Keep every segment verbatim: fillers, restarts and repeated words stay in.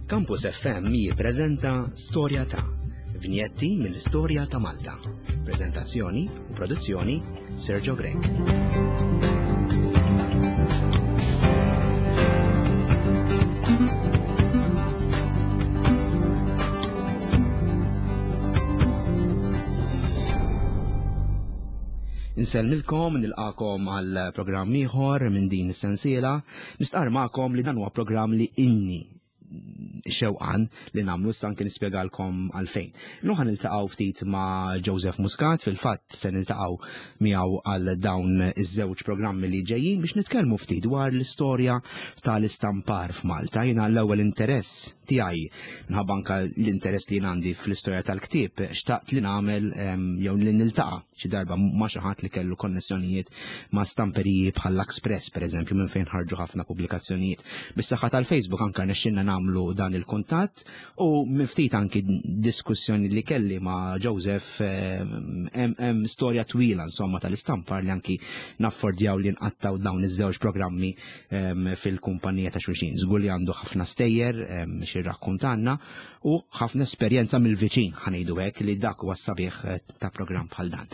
Campus F M jippreżenta Storja ta' Vinjetti mill-Istorja ta' Malta. Prezentazzjoni u produzzjoni Sergio Grech. Insellmilkom, nilqakom għal programm ieħor minn din is-sensiela. Nistqar magħkom li dan huwa programm li inni xewqan li nagħmlu, issa anke nispjegalkom għalfejn. Illum ħa niltaqgħu ftit ma' Joseph Muscat, fil-fatt se niltaqgħu miegħu għal dawn iż-żewġ programmi li ġejjin biex nitkellmu ftit dwar l-istorja tal-istampar f'Malta. Jiena l-ewwel interess tiegħi, minħabba anke l-interess li jien għandi fl-istorja tal-ktieb, xtaqt li nagħmel jew li niltaqa' xi darba ma' xi ħadd li kellu konnessjonijiet ma' stamperiji bħal Express, pereżempju, minn fejn ħarġu ħafna pubblikazzjonijiet. Bis-saħħa tal-Facebook anke nexxinna nagħmlu dan il-kuntatt u minn ftit anki diskussjoni li kelli ma' Joseph hemm storja twila insomma tal-istampar li anki naffordjaw li nqattaw dawn iż-żewġ programmi fil-kumpanija ta' xulxin. Żgur li għandu ħafna stejjer xi rrakkontanna u ħafna esperjenza mill-viċin, ħanejdu hekk, li dak huwa sabiħ ta' programm bħal dan.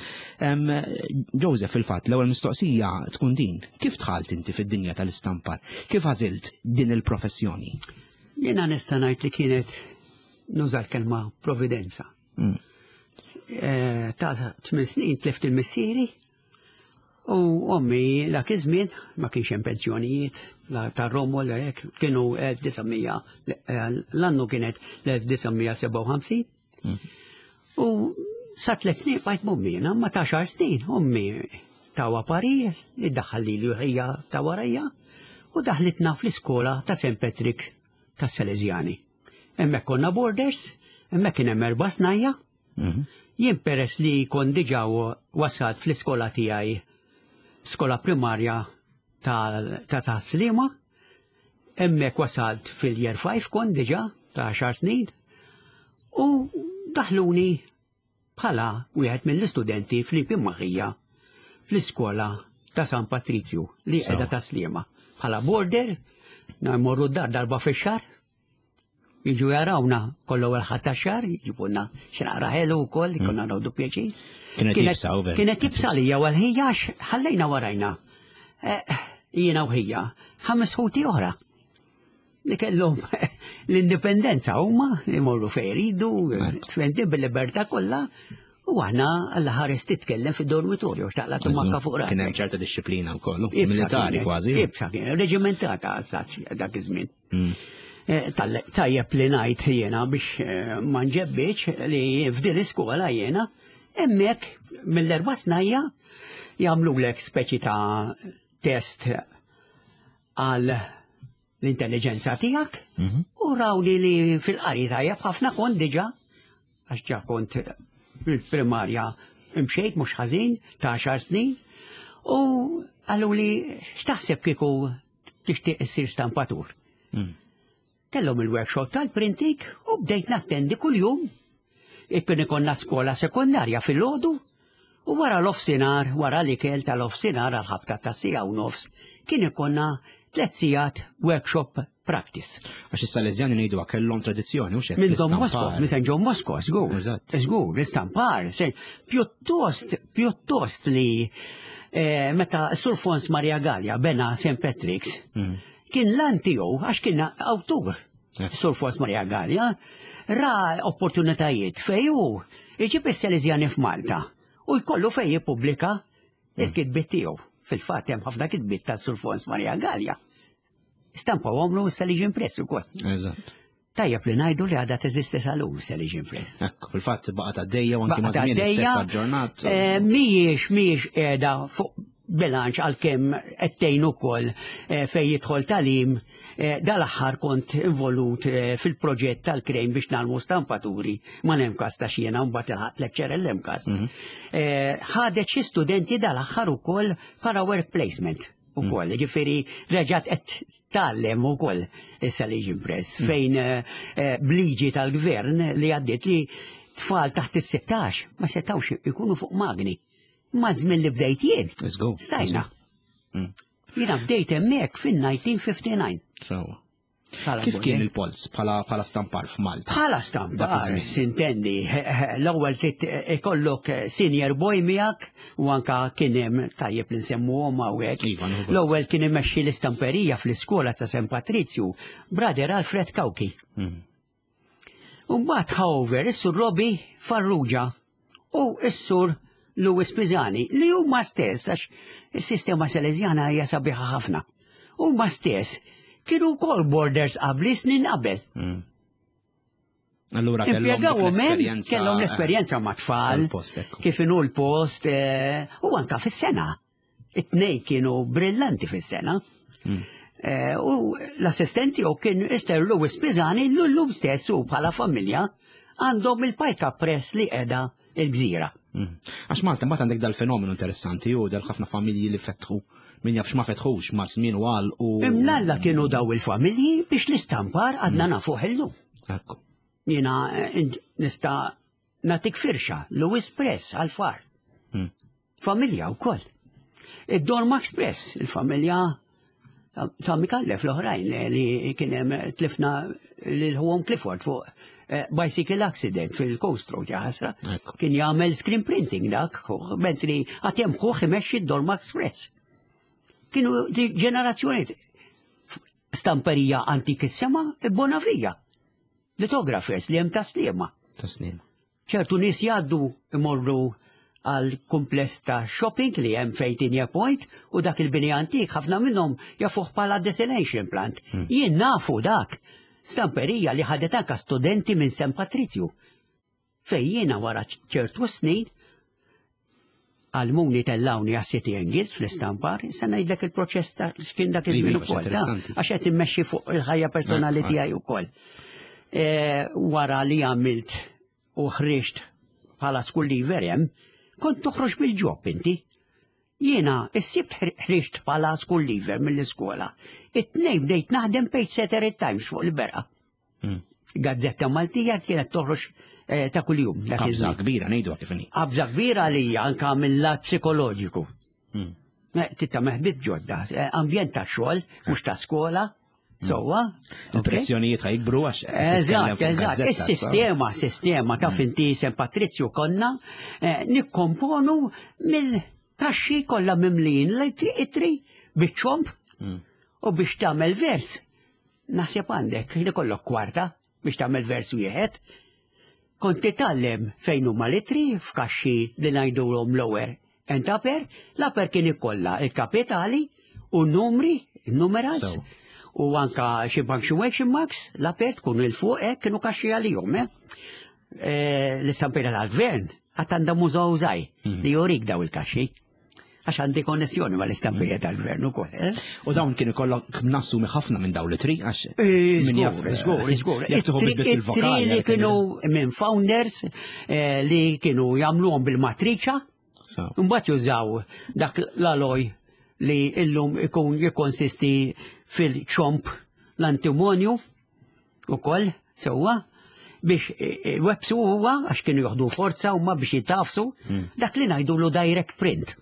Joseph, fil-fatt, l-ewwel mistoqsija tkun din: kif dħalt inti fid-dinja tal-istampar? Kif għażilt din il-professjoni? Jiena nista' ngħid li kienet, nuża l-kelma, providenza. Mm. Eh, ta' tmien snin tlift il-missieri u ommi dak iż-żmien ma kienx hemm pensjonijiet ta' Romo l hekk, kienu elf disa' mija, l-annu kienet l-elf disa' mija sebgħa u ħamsin. Mm. U sa tliet snin bqajt m'ommi, ma ta' għaxar snin ommi tawa parir li daħħal li ħija ta' warajja u daħlitna fl-iskola ta' Saint Patrick ta' Salesiani. Hemmhekk konna boarders, hemmhekk kien hemm erba' snajja. Mhm. Jien peress li kon diġà wasalt fl-iskola tiegħi, skola primarja ta' ta' Sliema, hemmhekk wasalt fil-year five kon diġà ta' għaxar snin u daħluni bħala wieħed mill-istudenti flimkien ma' ħija fl-iskola ta' San Patrizju li qiegħda ta' Sliema. Bħala boarder, morru d-dar darba fix-xahar, jiġu jarawna kollu l-ħadd tax-xahar, jġibulna xi naqra ħelu wkoll, mm. konna noħdu pjaċir. Kienet iebsa u Kienet iebsa li għal ħija, ħallejna warajna. Eh, jiena u ħija, ħames ħuti oħra li kellhom l-indipendenza huma jmorru fejn iridu, tfenti bil-libertà kollha, u aħna Alla ħares titkellem fid-dormitorju, xtaqla tummakka fuq rasek. Kien hemm ċerta disċiplina wkoll, militari kważi. Iebsa kien, reġimentata għas dak iż-żmien. Mm. Eh, tajjeb li ngħid jiena biex eh, ma nġebbiċ li f'din l-iskola jiena hemmhekk mill-erba' snajja jagħmlulek speċi ta' test għal l-intelligenza tiegħek mhm. u rawli li fil-qari tajjeb ħafna kont diġà, għax ġa kont fil-primarja imxejt mhux ħażin ta' għaxar snin, u qalu li x'taħseb kieku tixtieq issir stampatur. Mm. Kellhom il-workshop tal-printing u bdejt nattendi kuljum. Ikkun ikonna skola sekondarja fil-għodu u wara l-offsinar, wara l-ikel tal-offsinar għal-ħabta ta' siegħa u nofs, kien ikonna tliet sigħat workshop practice. Għax is-Salesjani ngħidu kellhom tradizzjoni u xek. Minn Don Bosco, minn San John Bosco, żgur. Żgur, l-istampar, pjuttost, pjuttost li eh, meta Sur Fons Maria Gallia bena Saint Patrick's, mm. kien lan tiegħu għax kien awtur. Sur Fons Maria Gallia ra opportunitajiet fej hu iġib is-Salesjani f'Malta u jkollu fej jippubblika il-kitbiet tiegħu. Fil-fatt hemm ħafna kitbiet ta' Sur Fons Maria Gallia. Stampa għomlu Salesian Press ukoll. Eżatt. Tajjeb li ngħidu li għadha teżisti sal-lum Salesian Press. Ekku, fil-fatt baqgħet għaddejja u anki ma' żmien istess aġġornat. Eh, mhijiex mhijiex qiegħda fuq bilanċ għalkemm qed tgħin ukoll eh, fejn jidħol tagħlim. eh, dal-aħħar kont involut fil-proġett tal-Crane biex nagħmlu stampaturi ma' l-MCAST ta' xiena mbagħad ilħaq lecture l-MCAST. Mhm. Ħadet xi studenti dal-aħħar ukoll para work placement ukoll, ġifieri reġgħet qed tgħallem ukoll is-Salesian Press mm. fejn eh, bliġi tal-gvern li għaddiet li tfal taħt is-sittax ma setawx ikunu fuq magni. Ma żmien li bdejt jien. Stajna. Mm. Jiena bdejt hemmhekk fin-elf disa' mija ħamsa u ħamsin. Kif kien il-polz bħala stampar f'Malta? Bħala stampar, sintendi, l-ewwel ikollok senior boy miegħek u anka kien hemm tajjeb li nsemmuhom hawnhekk. Iva, l-ewwel kien imexxi l-istamperija fl-iskola ta' San Patrizju, Brother Alfred Cauchi. U mbagħad however, is-Sur Robbie Farrugia u s-Sur Louis Pisani li huma stess, għax is-sistema Salesjana hija sabiħa ħafna. Huma stess kienu wkoll boarders qabli snin qabel. Allura kellhom l-esperjenza. Kellhom l-esperjenza ma' tfal, kif inhu l-post, u anka fis-sena. It-tnejn kienu brillanti fis-sena. U l-assistenti u kien Mister Louis Pisani l-lum stess u bħala familja għandhom il-Pajka Press li qiegħda il-Gżira. Għax Malta mbagħad għandek dal-fenomenu interessanti u dal ħafna familji li fetħu min jaf x'ma fetħux ma' żmien u għal u. Imnalla kienu daw il-familji biex l-istampar għadna nafuh illum. Ekku. Jiena nista' nagħtik firxa, Louis Press għal-far. Familja wkoll. Id-Dormax Press, il-familja ta' Mikallef l-oħrajn li kien hemm tlifna lil ħuhom Clifford fuq bicycle accident fil-Coast Road, ħasra. Kien jagħmel screen printing dak, mentri għad hemm ħuh imexxi d-Dormax Press. Kienu ġenerazzjoni stamperija antikissima Bonavia. Lithographers li hemm Tas-Sliema. Tas-Sliema. ċertu nies jgħaddu imorru għal kumpless ta' shopping li hemm fejn Point u dak il-bini antik ħafna minnhom jafuh bħala desalination plant. Jien nafu dak. Stamperija li ħadet anka studenti minn San Patrizju. Fej jiena wara ċertu snin għallmuni tellgħuni għas-City and Guilds fl-istampar, issa ngħidlek il-proċess ta' x'kien dak iż-żmien ukoll. Għax qed immexxi fuq il-ħajja personali tiegħi ukoll. Wara li għamilt u ħriġt bħala school leaver hemm, kont toħroġ bil-job inti. Jiena is-Sibt ħriġt bħala school leaver mill-iskola. It-Tnejn bdejt naħdem Pagesetter Times fuq il-Berqa. Gazzetta Maltija kienet toħroġ ta' kuljum. Qabża kbira ngħidu kif inhi. Qabża kbira li anka mill-lat psikoloġiku. Titta meħbib ġodda, ambjent ta' xogħol, mhux ta' skola. Sowa. Impressjonijiet ħajkbru għax. Eżatt, eżatt. Is-sistema, sistema ta' finti San Patrizju konna nikkomponu mill-kaxxi kollha mimlin l-itri biċ-ċomb u biex tagħmel vers. Naħseb għandek li kollok kwarta biex tagħmel vers wieħed. Kont titgħallem fejn huma l-itri f'kaxxi li ngħidulhom lower and upper, l-upper kien ikollha il-kapitali u n-numri, il-numerals. U anka xi punctuation marks, l-upper tkun il fuq hekk kienu kaxxi għalihom, eh? L-istampira tal-gvern għad għandha mużew żgħir li jurik daw il-kaxxi. Għax għandi konnessjoni ma l-istampirja tal-gvern ukoll. U dawn kienu kollok nassumi ħafna minn dawn l-ittri, għax. Żgur, żgur, żgur. Ittri li kienu minn founders li kienu jagħmluhom bil-matriċa. Mbagħad jużaw dak l-alloy li illum ikun jikkonsisti fil-ċomp l-antimonju ukoll sewwa biex websu huwa għax kienu joħdu forza huma biex jitafsu dak li ngħidulu direct print.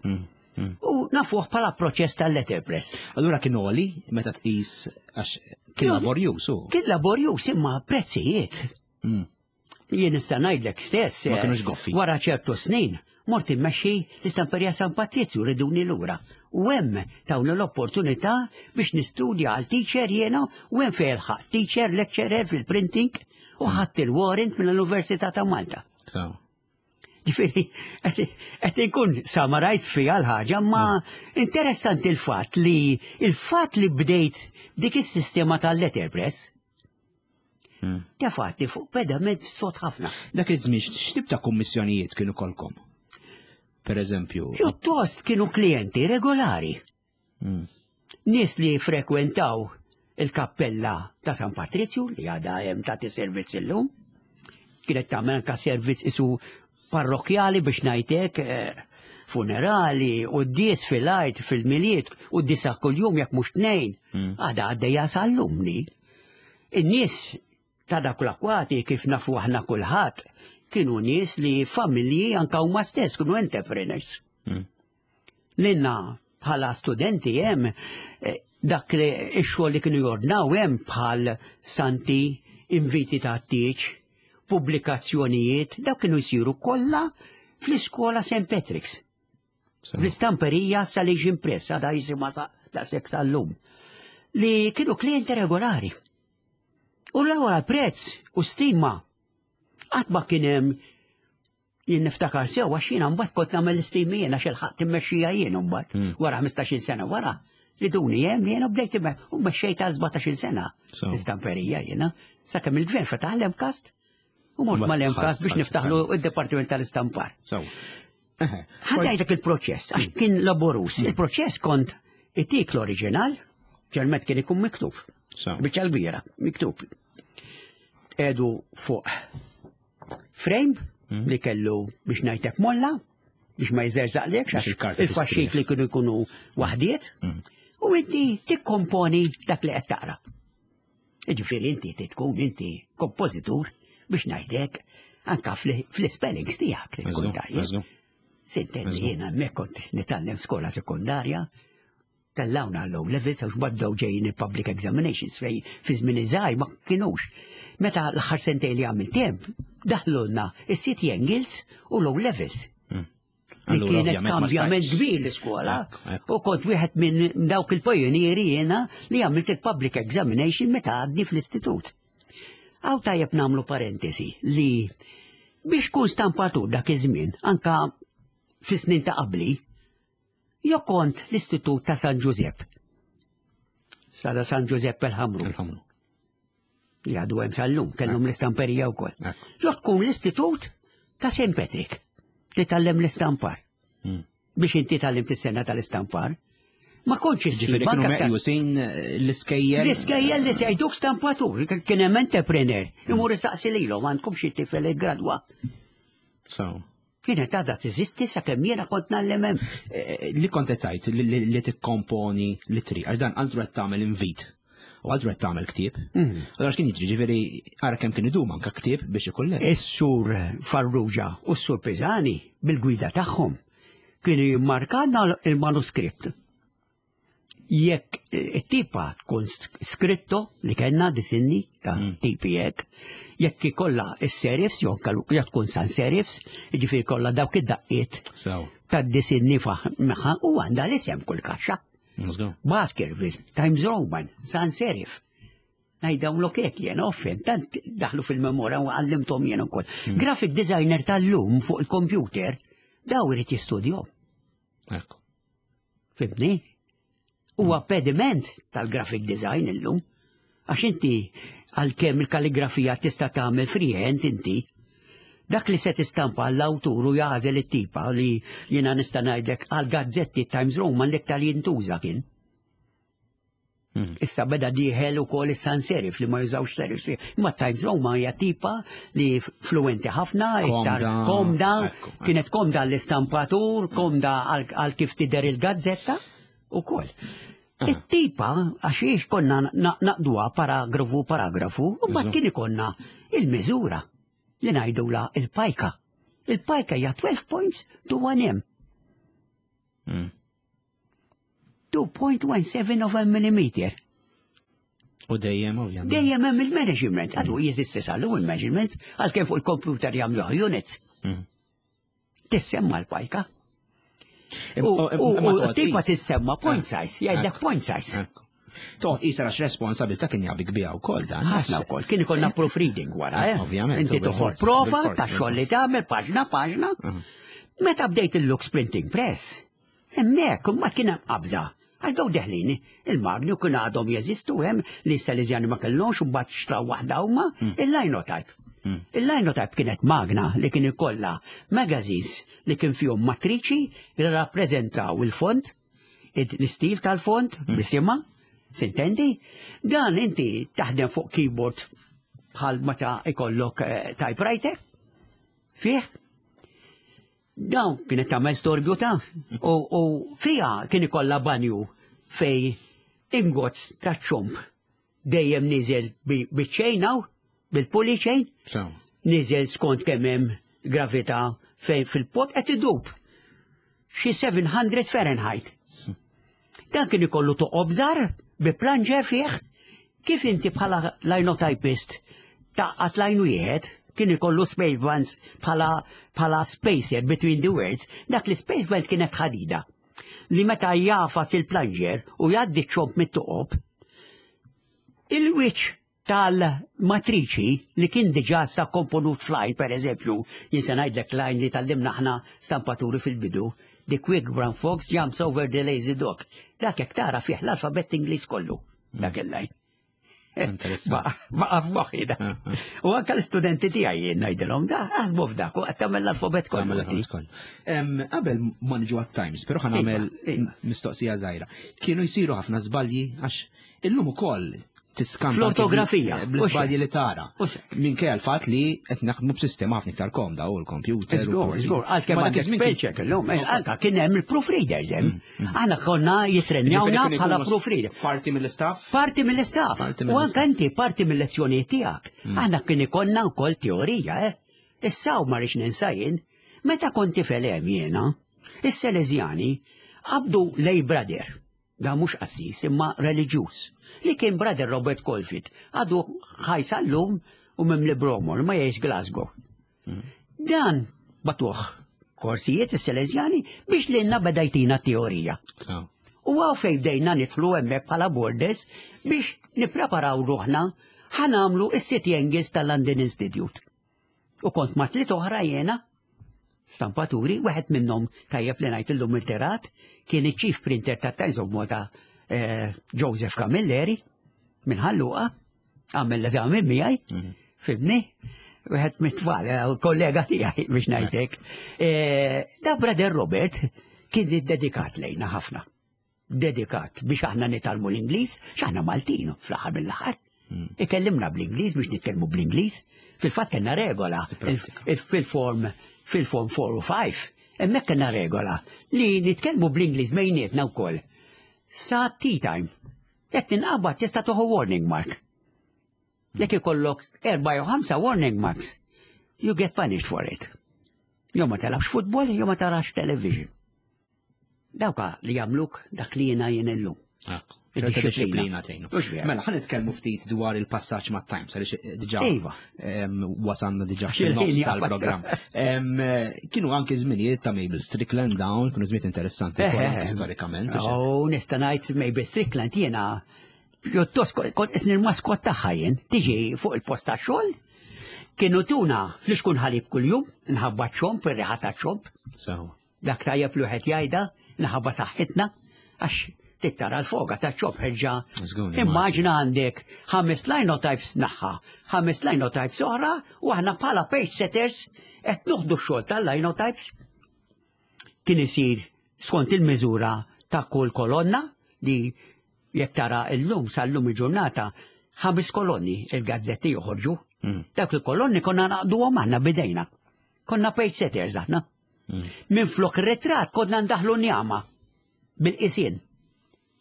U nafuh bħala proċess tal-letterpress. Allura kien għoli meta tqis għax kien laborjuż. Kien laborjuż imma prezzijiet. Jien nista' ngħidlek stess. Ma kienux goffi. Wara ċertu snin mort immexxi l-istamperija San Patrizju riduni lura. U hemm tawni l-opportunità biex nistudja għal teacher jiena u hemm fejn ħadt teacher lecturer fil-printing u ħadt il-warrant mill-Università ta' Malta. Ġifieri, qed inkun summarized fiha l-ħaġa, ma interessanti il-fatt li il-fatt li bdejt dik is-sistema tal-letterpress tefgħatni fuq pedament sod ħafna. Dak iż-żmien x'tip ta' kummissjonijiet kienu kolkom? Per eżempju. Pjuttost kienu klijenti regolari. Nies li frekwentaw il-kappella ta' San Patrizju li għadha hemm tagħti servizz illum. Kienet tagħmel anke servizz isu parrokjali biex ngħidlek, funerali, u d-dies fil-għid, fil-Milied, u d-disa kuljum jekk mhux tnejn. Għadha għaddejja sal-lum li. In-nies ta' dak l-akwati kif nafu aħna kulħadd kienu nies li familji anka huma stess kienu entrepreneurs. Lilna bħala studenti hemm Dak li x-xogħol li kienu jordnaw hemm bħal santi, inviti ta' tieġ, pubblikazzjonijiet, dawk kienu jsiru kollha fl-iskola Saint Patrick's. L-istamperija Salesian Press, għadha jisimha daqshekk sal-lum. Li kienu klienti regolari. U l-ewwel prezz u stima. Qatt ma kien hemm, jien niftakar sew, għax jiena mbagħad kont nagħmel l-istimi jien, għax il-ħadd immexxija jien mbagħad wara ħmistax-il sena wara. Riduni hemm jiena bdejt u mexxejta sbatax-il sena. L-istamperija jiena. Sakemm il-gvern fetaħ l-MCAST u mort mal-MCAST biex niftaħlu id-Dipartiment tal-Istampar. Ħa ngħidlek il-proċess, għax kien laborus. Il-proċess kont itik l-oriġinal, ġermet kien ikun miktub. Biċċa l-bira, miktub. Edu fuq frame li kellu biex ngħidlek molla, biex ma jżerżaqlekx, għax il-faxxikli kienu jkunu waħdiet, u inti tikkomponi dak li qed taqra. Ġifieri inti tkun inti kompożitur biex ngħidlek anka fl-spellings tiegħek li tkun tajjeb. Sintendi, jiena hemmhekk kont nitgħallem skola sekondarja, tellawna l-O levels, għax bdew ġejjin il-public examinations fej fi żmien iżgħar ma kienux. Meta l-aħħar sentejn li għamilt hemm, daħlulna is-City and Guilds u l-O levels. Li kienet kambjament kbir l-iskola. U kont wieħed minn dawk il-pajonieri jiena li għamilt il-public examination meta għadni fl-istitut. Hawn tajjeb nagħmlu parentesi li biex kun stampatur dak iż-żmien, anka fis-snin ta' qabli, jo kont l-Istitut ta' San Giuseppe. Sada San Giuseppe el-Ħamru. Li għadu hemm sal-lum, kellhom l-istamperija wkoll. Jo tkun l-Istitut ta' Saint Patrick li tgħallem l-istampar. Biex inti tgħallimt is-sengħa tal-istampar. Ma kontx issib. Ġifieri kienu meqjusin l-iskejjel. L-iskejjel li se jgħiduk stampatur, kien hemm entrepreneur, imur isaqsi lilhom, "Għandkom xi tifel gradwa?" So. Kienet għadha teżisti sakemm jiena kont ngħallem hemm. Eh, li kont qed tgħid li, li tikkomponi li tri, għax dan għandu qed tagħmel invit. U għaldu qed tagħmel ktieb. Allora x'kien jiġri, ġifieri ara kemm kien idum anke ktieb biex ikun lest. Is-sur Farrugia u s-sur Pisani bil-gwida tagħhom kienu jimmarkana il-manuskript. Jekk it-tipa tkun skritto li kellna disinni ta' tipi hekk, jekk ikollha is-serifs, jew jekk tkun sans serifs, jiġifieri kollha dawk id-daqqiet Sew. tad-disinni magħha u għandha l-isem kull kaxxa. Let's go. Baskerville, Times Roman, sans serif. Ngħidhom hekk jien offen, tant daħlu fil-memorja u għallimthom jien ukoll. Graphic designer tal-lum fuq il-computer, daw irid jistudjom. Ekku. Fhimtni? Huwa pediment tal-graphic design illum. Għax inti għalkemm il-kalligrafija tista' tagħmel freehand inti, dak li se tistampa għall-awtur u jagħżel it-tipa li jiena nista' ngħidlek għal gazzetti Times Roman l-iktar jintuża kien. Issa beda dieħel ukoll is-sans serif li ma jużawx serif. Imma Times Roman hija tipa li fluenti ħafna, iktar Komda. komda, Ekku, ekku. kienet komda l-istampatur, komda għal għal kif tidher il-gazzetta ukoll. It-tipa, għax jiex konna na- naqduha paragrafu paragrafu, u mbagħad kien ikollna il-miżura li ngħidula il-pajka. Il-pajka hija twelve points to one M. Mm. two point one seven of a millimeter. U dejjem, ovvjament. Dejjem hemm il-measurement, għadu jeżisti sal-lum il-measurement, għalkemm fuq il-computer jagħmluha units. Mm. Tissemma l-pajka. Im- U u- u- imma u toqgħod tipa qis. tissemma point size, jgħidlek Ekku. point size. Ekku. Toqgħod qisha għax responsabilità kien jabik biha wkoll dan. Ħafna wkoll, kien ikollna proofreading wara, eh? Ovvjament, Inti u toħod bil-fors, prova bil-fors, ta' xogħol li bil-fors. tagħmel paġna paġna. Meta bdejt il-Lux Printing Press, hemmhekk imma kien hemm qabża. Għal daw deħlin, il-magni kien għadhom jeżistu hemm li Salesiani ma kellhomx u mbagħad xtraw waħda huma, il-Linotype. Il-Linotype kienet magna li kien ikollha magazines li kien fihom matriċi li rappreżentaw il-font, l-istil tal-font, bisimha, sintendi? Dan inti taħdem fuq keyboard bħal meta ikollok eh, typewriter, fih. Dawn kienet tagħmel storbju ta' u, u fija kien ikollha banju fej ingots ta' ċomp dejjem niżel biċ-chain hawn, bil-pulley chain, So. niżel skont kemm hemm gravità fejn fil-pot qed idub. Xi seba' mija Fahrenheit. Dan kien ikollu toqob żgħar Bi plunger fih, kif inti bħala linotypist tgħaqqad line wieħed, kien ikollu space bands bħala bħala spacer between the words, dak li space band kienet ħadida. Li meta jagħfas il-plunger u jgħaddi ċomb mit-toqob, il-wiċ tal-matriċi li kien diġà sa komponut f'line, per eżempju, jien se ngħidlek line li tgħallimna aħna stampaturi fil-bidu, "The quick brown fox jumps over the lazy dog." Dak jekk tara fih l-alfabett Ingliż kollu, dak il-line. Interessanti. Baqa f'moħħi dak. U anka l-istudenti tiegħi jien ngħidilhom da aħsbu f'dak u qed tagħmel l-alfabett kollu. Tagħmel inti. l-alfabett kollu. Em, Qabel ma niġu għat-Times, però ħa nagħmel Iva, iva. mistoqsija żgħira. Kienu jsiru ħafna żbalji għax illum ukoll tiskanta Fl-ortografija. bl-iżbalji li tara. U xek. Minkejja l-fatt li qed naħdmu b'sistema ħafna iktar komda u l-computer. u Żgur, forsi- żgur, għalkemm Ma dak għandek iż-żmien kien- spell check illum, eh, anka kien hemm il-proofreaders hemm. Aħna konna jittrenjawna Ġifieri kienu bħala jkunu proofreader. Parti mill-istaff? Parti mill-istaff. Parti U mill-istaff. anka inti parti mill-lezzjonijiet tiegħek. Aħna kien ikollna wkoll teorija, eh. Issa u ma rridx ninsa jien, meta kont tifel hemm jiena, is-Selezjani qabdu lay brother, da mhux qassis imma reliġjuż, li kien Brother Robert Colfield, għadu ħaj sal-lum u mimli b'għomor, ma jgħix Glasgow. Dan bagħtuh korsijiet is-Selezjani biex lilna beda jtina teorija. So. U hawn fejn bdejna nidħlu hemmhekk bħala boarders biex nippreparaw ruħna ħa nagħmlu is-City and Guilds tal-London Institute. U kont ma' tliet oħra jena, stampaturi, wieħed minnhom tajjeb li ngħid illum irtirat, kien iċ-chief printer ta' Times of Malta, eh, Joseph Camilleri, minn Ħal Luqa, għamel l-eżami miegħi, fhimtni, wieħed mit-tfal, eh, kollega tiegħi biex ngħidlek. Eh, Da Brother Robert kien dedikat lejna ħafna. Dedikat biex aħna nitgħallmu l-Ingliż, x'aħna Maltin fl-aħħar mill-aħħar. Ikellimna bl-Ingliż biex nitkellmu bl-Ingliż. Fil-fatt kellna regola Pratika. il- fil-form fil-form four u five. Hemmhekk kellna regola li nitkellmu bl-Ingliż bejnietna wkoll. Sa tea time. Jekk tinqabad tista' tieħu warning mark. Jekk ikollok erba' jew ħamsa warning marks, you get punished for it. Jew ma telabx futbol, jew ma tarax television. Dawka li jagħmluk dak li jiena jien illum. ċerta Id-disciplina. disciplina tgħinu. Mhux vera. Mela, ħa nitkellmu ftit dwar il-passaġġ mat Times, għaliex eh, diġà Iva. em, wasanna diġà Għax fil-nofs il-ħin tal-programm. Em, eh, Kienu anke żminijiet ta' Mabel Strickland dawn, kienu żminijiet interessanti wkoll anke storikament. u xejn. Oh, nista' ngħid Mabel Strickland jiena pjuttost kont isni l-maskot tagħha jien, tiġi fuq il-post ta' xogħol. Kienu tuna flixkun ħalib kuljum, nħabba ċomb, ir-riħa ta' ċomb. So, Dak tajjeb li wieħed jgħidha, nħabba saħħitna, għax tittara l-foga ta' ċomb ħerġa. Żgur, Immaġina għandek ħames linotypes naħa, ħames linotypes oħra, u aħna bħala page setters qed nieħdu x-xogħol tal-linotypes. Kien isir skont il-miżura ta' kull kolonna li jekk tara illum sal-lum il-ġurnata ħames kolonni il-gazzetti joħorġu. Mm. Dak il-kolonni konna naqduhom aħna bidejna. Konna page setters aħna. Minn flok ritrat konna ndaħlu njama bil-qisien.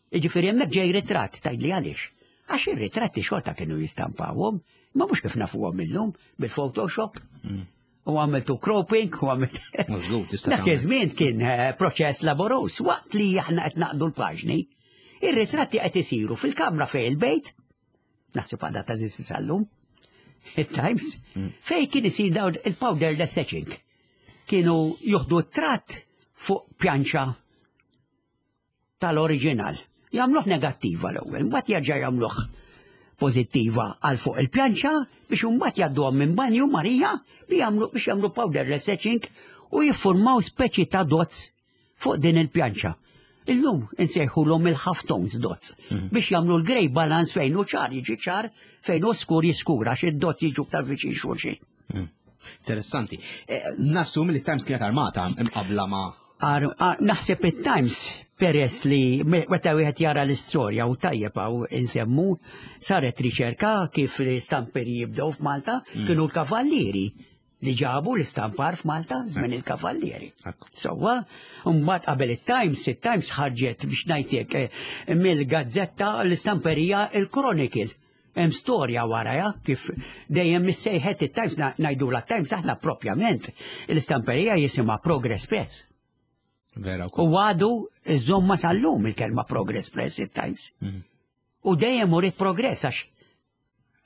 Iġifieri hemmhekk ġej ritrat, tgħidli għaliex. Għax ir-ritratti xorta kienu jistampawhom, ma mhux kif nafuhom illum bil-Photoshop. U għamiltu cropping, u għamilt. Mhux żgur, tista' Dak tagħmel. iż-żmien kien eh, proċess laborus, waqt li aħna qed naqdu l-paġni, ir-ritratti qed isiru fil-kamra fejn il-bejt, naħseb għadha teżisti sal-lum, il-Times, fej kien isir dawn il-powderless etching. Kienu juħdu tratt fuq pjanċa tal-oriġinal. Jagħmluh negattiva l-ewwel, mbagħad jerġa' jagħmluh pożittiva għal fuq il-pjanċa biex imbagħad jgħadduhom minn banju Marija biex jagħmlu biex jagħmlu powderless etching u jiffurmaw speċi ta' dots fuq din il-pjanċa. Illum insejħulhom il-half tones dots biex jagħmlu l-grey balance fejn hu ċar jiġi ċar, fejn hu skur jiskura għax id-dots jiġu aktar viċin xulxin. Interessanti. Eh, Nassum li Times kienet armata imqabla ma' Ar, ar, naħseb it-Times peress li me- meta wieħed jara l-istorja u tajjeb hawn insemmu saret riċerka kif l-istamperi jibdew f'Malta kienu l-kavallieri li ġabu l-istampar f'Malta żmien il-kavallieri. Ekku. Sewwa, mbagħad qabel it-Times, it-Times ħarġet biex ngħidlek eh, mill-gazzetta l-istamperija il-Chronicle. Hemm storja waraja kif dejjem missejħet it-Times ngħidu la Times aħna propjament l-istamperija jisimha Progress Press. Vera U għadu żommha sal-lum il-kelma Progress Press it-Times. U dejjem uriet progress għax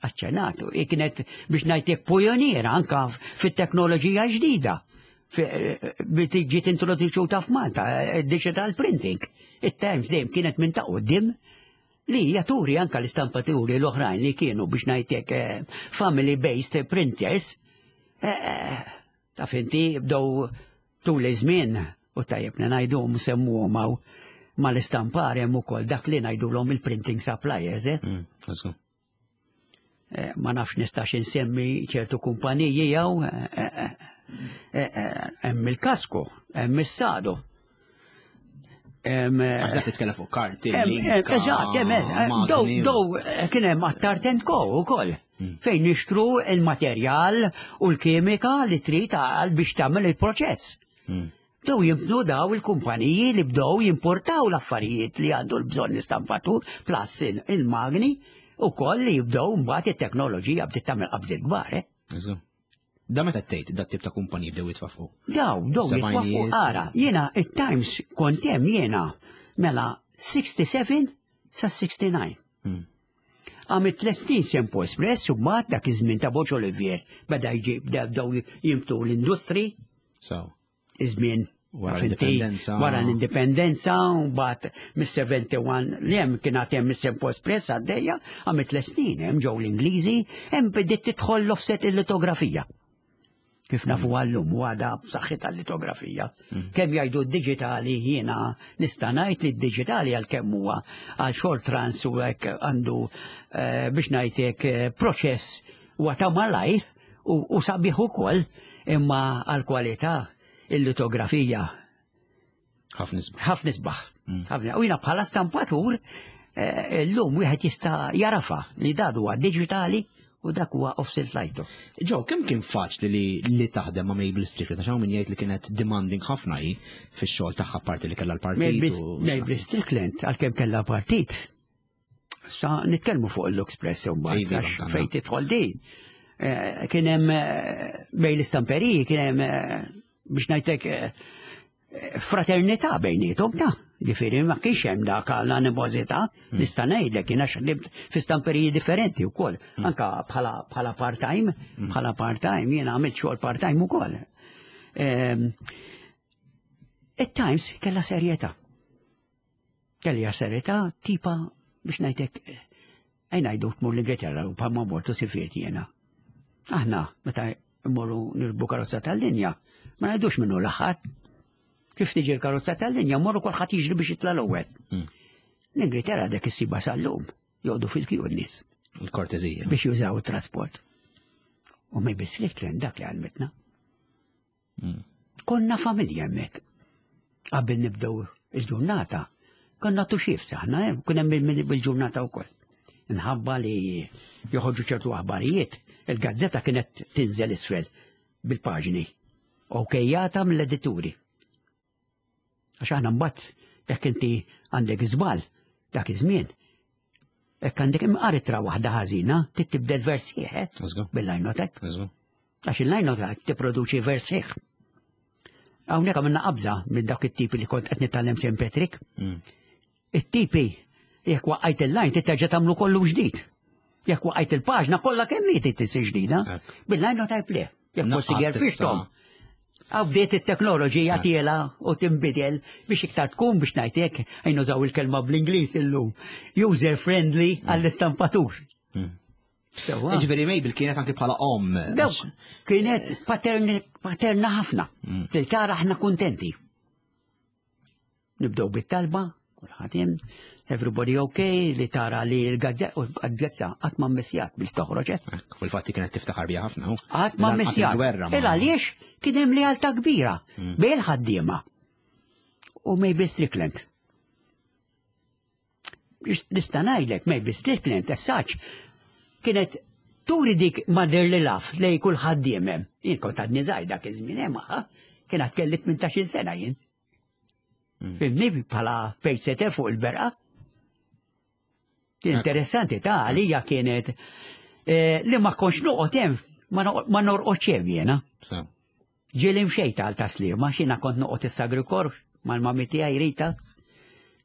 aċċenatu, i kienet biex ngħidlek pjoniera anka fit-teknoloġija ġdida. Biex ġiet introduċuta f'Malta, eh, digital printing. It-Times dejjem kienet minn ta' quddiem li hija turi anka l-istampaturi l-oħrajn li kienu biex ngħidlek eh, family-based printers. Eh, Taf inti bdew tul iż-żmien u tajjeb li ngħidu semmuhom hawn mal-istampar hemm ukoll dak li ngħidulhom il-printing suppliers, eh? Mm, let's go. Eh, ma nafx nistax insemmi ċertu kumpaniji jew eh, eh, eh, eh, hemm il-Kasco, hemm is-Sado. Hemm, eh, Għax dak titkellem fuq karti. hemm- hemm- linka, Eżatt, hemm, eh, dow magni. dow eh, kien hemm Attard and Co ukoll. Fejn nixtru il-materjal u l-kimika li trid għal biex tagħmel il-proċess. Mm. Bdew jimbnu daw il-kumpaniji li bdew jimportaw l-affarijiet li għandu l-bżonn l-istampatur, plus il- il-magni u koll li jibdew mbagħad it-teknoloġija bdiet tagħmel qabżiet kbar, eh? Let's go. Da meta tgħid dat tip ta' kumpaniji bdew jitwaffqu. Daw, daw jitwaffqu Sebgħinijiet. ara, jiena it-Times kont hemm jiena mela sixty-seven sa sixty-nine. Mm. Għamilt tliet snin Saint Paul's Press u mbagħad dak iż-żmien ta' Borg Olivier beda jġib bdew jimbtu l-industri So, iż-żmien Wara taf inti, l-indipendenza. Wara l-indipendenza, u mbagħad mis-sebgħa u sebgħin li hemm kien għad hemm mis-Saint Paul's Press għaddejja, għamilt tliet snin hemm ġew l-Ingliżi, hemm bdiet tidħol l-offset il-litografija. Kif nafu għallum u għada b'saħħitha l-litografija. Kemm jgħidu d-digitali, jiena nista' ngħid li d-digitali għal kemm huwa għal short runs u hekk għandu eh, biex ngħidlek eh, proċess huwa ta' malajr u, u sabiħ ukoll, imma għal kwalità il-litografija ħafna isbaħ. Ħafna isbaħ. Ħafna. U jiena bħala stampatur eh, illum wieħed jista' jarafa li dan huwa digitali u dak huwa offset litho. Joe, kemm kien faċli li, li taħdem ma' Mabel Strickland? Għax hawn min jgħid li kienet demanding ħafna hi fix-xogħol tagħha, parti li kellha l-partit. u- Mabel Strickland għalkemm kellha partit. Sa nitkellmu fuq l-Express u mbagħad Iva, għax għandna. fejn tidħol din. Eh, Kien hemm eh, bejn l-istamperiji kien hemm eh, biex ngħidlek eh, fraternità bejniethom ta' ġifieri ma kienx hemm dak l-animożità. Nista' ngħidlek jien għax ħdimt fi stamperiji differenti wkoll anka bħala bħala part-time bħala part-time jiena għamilt xogħol part-time ukoll. Ehm, It-Times kellha serjetà. Kellha serjetà tipa biex ngħidlek ejja ngħidu tmur l-Ingilterra u bħalma mortu sifirt jiena. Aħna meta mmorru nirkbu karozza tal-linja ma ngħidux minnu l-aħħar. Kif tiġi l-karozza tal-linja, mmorru kulħadd jiġri biex jitla' l-ewwel. Mm. L-Ingilterra dak issiba sal-lum joqogħdu fil-kju n-nies Il-kortezija. biex jużaw it-trasport. U Mabel Strickland dak li għalmitna. Mm. Konna familja hemmhekk. Qabel nibdew il-ġurnata, konna two shifts aħna, eh, kien hemm bil-ġurnata wkoll. Nħabba li joħorġu ċertu aħbarijiet, il-gazzetta kienet tinżel isfel bil-paġni. Okejjata mill-edituri. Għax aħna mbagħad jekk inti għandek żball dak iż-żmien, jekk għandek imqar ittra waħda ħażina, trid tibdel vers sħiħ, eh? Let's go. Bil-linotype. Let's go. Għax il-linotype tipproduċi vers sħiħ. Hawnhekk għamilna qabża minn dak it-tipi li kont qed nitgħallem Saint Patrick. Mm. It-tipi jekk waqajt il-line trid tagħmlu kollu ġdid. Jekk waqajt il-paġna kollha kemm hi trid tisir ġdida. Hekk. Bil-linotype le. Jekk forsi Naqqas gerfixthom. Għaw bdiet it-teknoloġija tiela u tinbidel biex iktar tkun biex ngħidlek ejja nużaw il-kelma bl-Ingliż illum. User friendly għall-istampatur. Mm. Sewwa. Ġifieri Mabel kienet anki bħala om. Dawk kienet paterni, paterna ħafna. Mm. Til-kara aħna kontenti. Nibdew bit-talba, kulħadd hemm, everybody okay, li tara li l-gazzetta, u l-gazzetta qatt ma mmissjat biex toħroġ, eh? Hekk, fil-fatti kienet tiftaħar bija ħafna. hu. Qatt ma Lanqas mmissjat. il-gwerra ma- Il għaliex kien hemm lealtà kbira bejn il-ħaddiema u Mabel Strickland. Biex nista' ngħidlek Mabel Strickland as such kienet turi dik motherly love lej kull ħaddiem hemm. Jien kont għadni żgħir dak iż-żmien hemm magħha, kien għad kelli tmintax-il sena jien. Fhimtni, bħala pacesetter fuq il-berqa. Kien interessanti ta' għalija kienet eh, li ma kontx noqgħod hemm, ma noq- ma norqodx hemm jiena. So. Ġieli mxejt għal Tas-Sliema, xina kont noqgħod is-Sagri Kor mal-mami tiegħi Rita.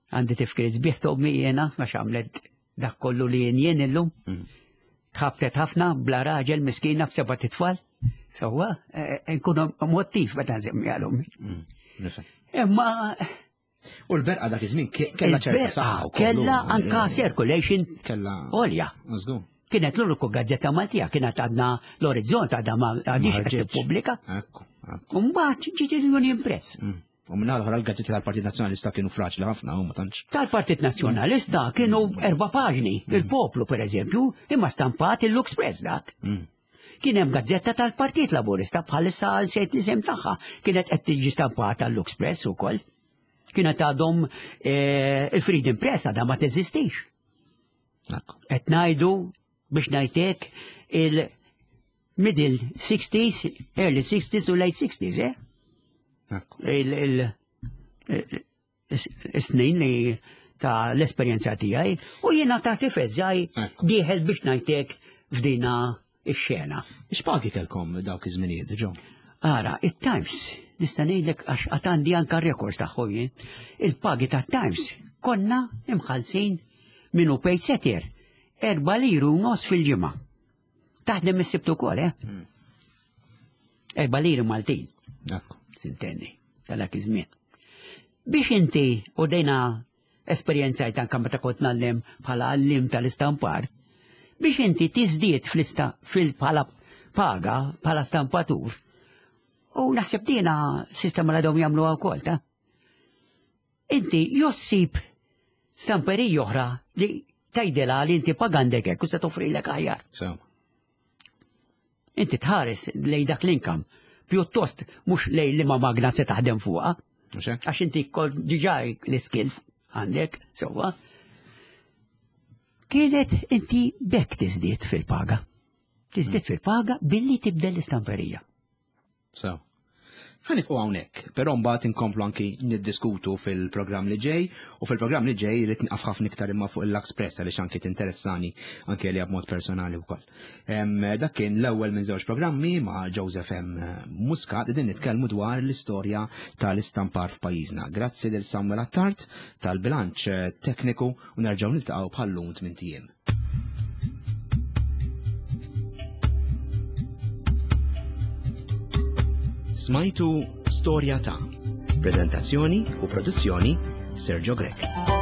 Għandi tifkiriet sbieħ t'ommi jiena, għax għamlet Dak kollu li jien jien illum. Mm. Tħabtet ħafna bla raġel miskina b'seba' titfal. Sewwa, eh, nkunu mottiv meta nsemmi għalhom. Mm. Nifhem. Imma U l-berqa dak iż-żmien ke- kellha ċerta il-berqa saħħa wkoll. Kella anka circulation Kella. għolja. Żgur. Kienet l-uniku gazzetta Maltija, kienet għadna l-Orizzont għadha ma għadix qed ħarġitx. tippubblika. Ekku. ekku. U mbagħad ġiet il-Union Press. Mm. U minna l-oħra l-gazzetti tal-Partit Nazzjonalista kienu fraġli ħafna u ma tantx. Tal-Partit Nazzjonalista kienu erba' paġni, il-Poplu per eżempju, imma stampat il-Lux Press dak. Mm. Kien hemm gazzetta tal-Partit Laburista bħalissa nsejt l-isem tagħha, kienet qed tiġi stampata l-Lux Press ukoll. Kienet għadhom eh, il-Freedom Press għadha ma teżistix. Ekku. Qed ngħidu biex ngħidlek il-middle sixties, early sixties u late sixties, eh? Ekku. il- il- il-snin li ta' l-esperjenza tiegħi u jiena ta' tifel żgħir Ekku. dieħel biex ngħidlek f'dina ix-xena. X'pagi kellkom dawk iż-żminijiet, ġo? Ara, it-Times, nista' ngħidlek għax għad għandi anka records tagħhom jien, il-pagi tat-Times konna imħallsin minnu paid setter, erba' liru u nofs fil-ġimgħa. Taħdem is-Sibt ukoll, eh? Erba' liri Maltin. Ekku. Sintendi, tal-dak iż-żmien. Biex inti u dejna esperjenzajt anka meta kont ngħallem bħala għallim tal-istampar, biex inti tiżdied fl-ista fil bħala paga, bħala stampatur, u naħseb dina sistema li għadhom jagħmluha wkoll, ta' inti jossib stamperija oħra li tgħidilha li inti pagandek hekk u se toffrilek aħjar. So. Inti tħares lej dak l-income, pjuttost mhux lej li ma magna se taħdem fuqha, Mhux hekk? għax inti kol diġà l-skill għandek, sewwa. Kienet inti bekk tiżdied fil-paga. Tiżdied fil-paga billi tibdel l-istamperija. So. Ħa nieqfu hawnhekk, però mbagħad inkomplu anki niddiskutu fil-programm li ġej, u fil-programm li ġej irid nieqaf ħafna iktar imma fuq il-Lux Press għaliex anki tinteressani anki li b'mod personali wkoll. Em, Dak kien l-ewwel minn żewġ programmi ma' Joseph M. Muscat din nitkellmu dwar l-istorja tal-istampar f'pajjiżna. Grazzi lil Samuel Attard tal-bilanċ tekniku u nerġgħu niltaqgħu bħal-lum tmint ijiem. Smajtu Storja ta' Prezentazzjoni u produzzjoni Sergio Grech.